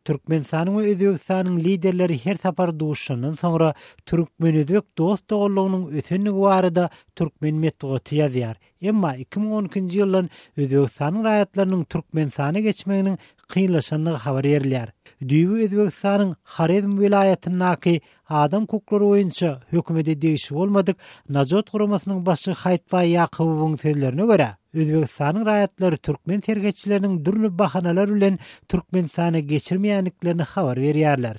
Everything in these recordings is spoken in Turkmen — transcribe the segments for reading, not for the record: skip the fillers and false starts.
Türkmenistanyň we Özbegistanyň liderleri her sapar duşuşandan soňra türkmen-özbek dost-doganlygynyň ösendigi barada türkmen metbugaty ýazýar. Emma 2012-nji ýyldan Özbegistanyň raýatlarynyň Türkmenistana geçmeginiň kynlaşandygy habar berilýär. Düýbi Özbegistanyň Horezm welaýatyndaky adam hukuklary boýunça hökümete degişli bolmadyk Najot guramasynyň başlygy Haýytbaý Ýakubowyň sözlerine görä, Özbegistanyň raýatlary türkmen serhetçileriniň dürli bahanalar bilen Türkmenistana geçirmeýändiklerini habar berýärler.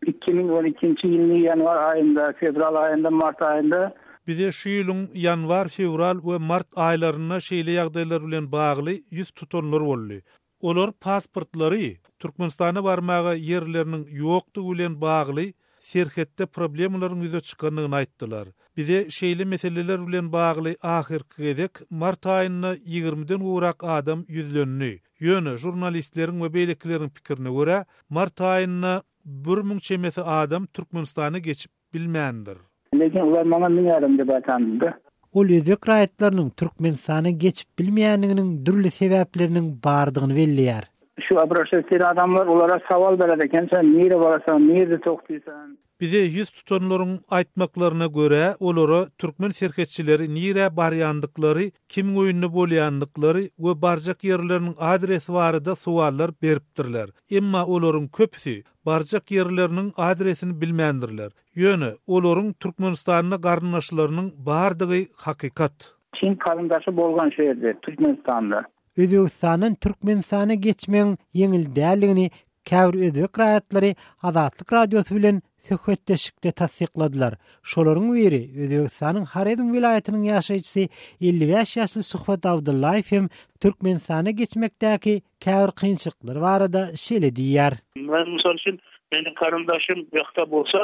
2012-nji ýylyň ýanwar aýynda, fewral aýynda, mart aýynda. Bize şu ýylyň ýanwar, fewral we mart aýlarynda şeýle ýagdaýlar bilen bagly ýüz tutanlar boldy. Olar pasportlary Türkmenistana barmaga ýerleriniň ýokdugy bilen bagly serhetde problemalaryň ýüze çykandygyny aýtdylar. Bize şeýle meseleler bilen bagly ahyrky gezek mart aýynda ýigrimiden gowrak adam ýüzlendi. Ýöne žurnalistleriň we beýlekileriň pikirine görä, mart aýynda 1000 çemesi adam Türkmenistana geçip bilmändir. Lekin ular maňa 1000 adam dep aýtandy-da. Ol özbek raýatlarynyň Türkmenistana geçip bilmeýändiginiň dürli sebäpleriniň bardygyny belleýär. Şu obraşat eden adamlar olara sowal berer eken, sen nirä barasaň, nirde togtysan? Bize ýüz tutanlaryň aýtmaklaryna görä, olara türkmen serhetçileri nirä barýandyklary, kimiň öýünde bolýandyklary we barjak ýerleriniň adresi barada sowallar beripdirler. Emma olaryň köpüsi barjak ýerleriniň adresini bilmändirler. Ýöne, olaryň Türkmenistanda garyndaşlarynyň bardygy hakykat. Çyn garyndaşy bolgan şu ýerde, Türkmenistanda. Özbegistandan Türkmenistana geçmegiň ýeňil däldigini käbir özbek raýatlary Azatlyk Radiosy bilen söhbetdeşlikde tassykladylar. Şolaryň biri, Özbegistanyň Horezm welaýatynyň ýaşaýjysy 55 ýaşly Suhbat Abdyllaýew hem Türkmenistana geçmekdäki käbir kynçylyklar barada şeýle diýýär. Men mysal üçin, meniň garyndaşym bu ýakda bolsa.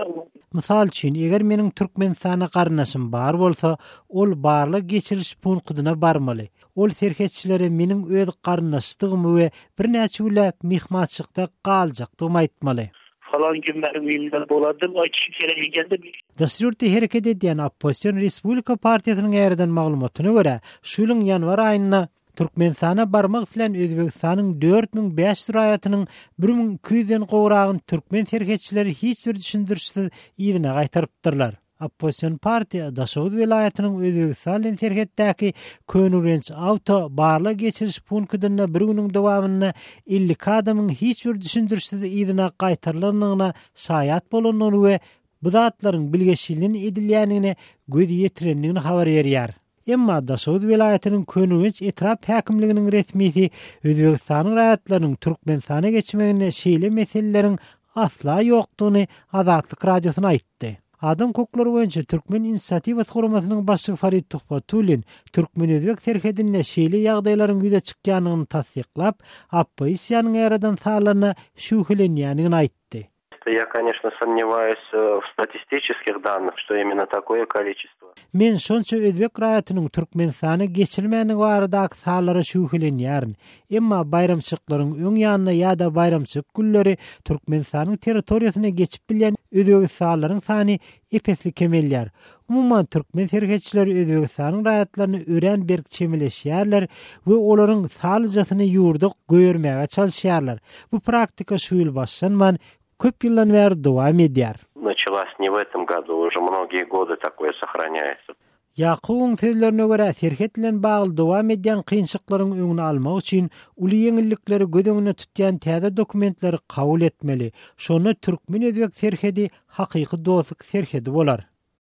Mysal üçin, eger meniň Türkmenistanda garyndaşym bar bolsa, ol barlag geçiriş punkydyna barmaly. Ol serhetçilere meniň öz garyndaşdygymy we birnäçe günläp myhmançylykda galjakdygymy aýtmaly. Falan gün meniň öýümde bolar diýip aýdyşy gerek eken-de. Daşary ýurtda hereket edýän oppozision Respublika partiýasynyň ýaýradan maglumatyna görä, şu ýylyň ýanwar aýynda Türkmenistana barmak islän Özbegistanyň 4500 raýatynyň 1200-den gowragyny türkmen serhetçileri hiç bir düşündirişsiz yzyna gaýtarypdyrlar. Oppozision partiýa Daşoguz welaýatynyň Özbegistan bilen serhetdäki Köneürgenç awto barlag geçiriş punktynda bir günüň dowamynda 52 adamyň hiç bir düşündirişsiz yzyna gaýtarylandygyna şaýat bolandygyny we bu zatlaryň bilgeşlinden edilýändigine göz ýetirendigini habar berýär. Emma Daşoguz welaýatynyň Köneürgenç etrap häkimliginiň resmisi Özbegistanyň raýatlarynyň Türkmenistana geçmeginde şeýle meseleleriň asla ýokdugyny Azatlyk Radiosyna aýtdy. Adam hukuklary boýunça Türkmen inisiatiwasy guramasynyň başlygy Farid Tuhbatullin türkmen-özbek serhedinde şeýle ýagdaýlaryň ýüze çykýandygyny tassyklap, oppozisiýanyň ýaradan sanlaryna şübhelenýändigini aýtdy. Ýa, koneçno, somnewayus w statistiçeskih dannyh, şto imенно takoýe koliçestwo. Men şonça özbek raýatynyň Türkmenistana geçirilmändigi baradaky sanlara şübhelenýärin. Emma baýramçylyklaryň öň ýanynda ýa-da baýramçylyk günleri Türkmenistanyň territoriýasyna geçip bilýän özbegistanlylaryň sany ep-esli kemelýär. Umuman, türkmen serhetçileri Özbegistanyň raýatlaryna örän berk çemeleşýärler we olaryň salyjasyny ýurda goýbermäge çalyşýarlar. Bu praktika şu ýyl başlanman, köp ýyldan bäri dowam edýär. Началась не в этом году, уже многие годы такое сохраняется. Ýakubyň sözlerine görä, serhet bilen bagly dowam edýän kynçylyklaryň öňüni almak üçin uly ýeňillikleri göz öňünde tutýan täze dokumentleri kabul etmeli. Şonda türkmen-özbek serhedi hakyky dostluk serhedi bolar.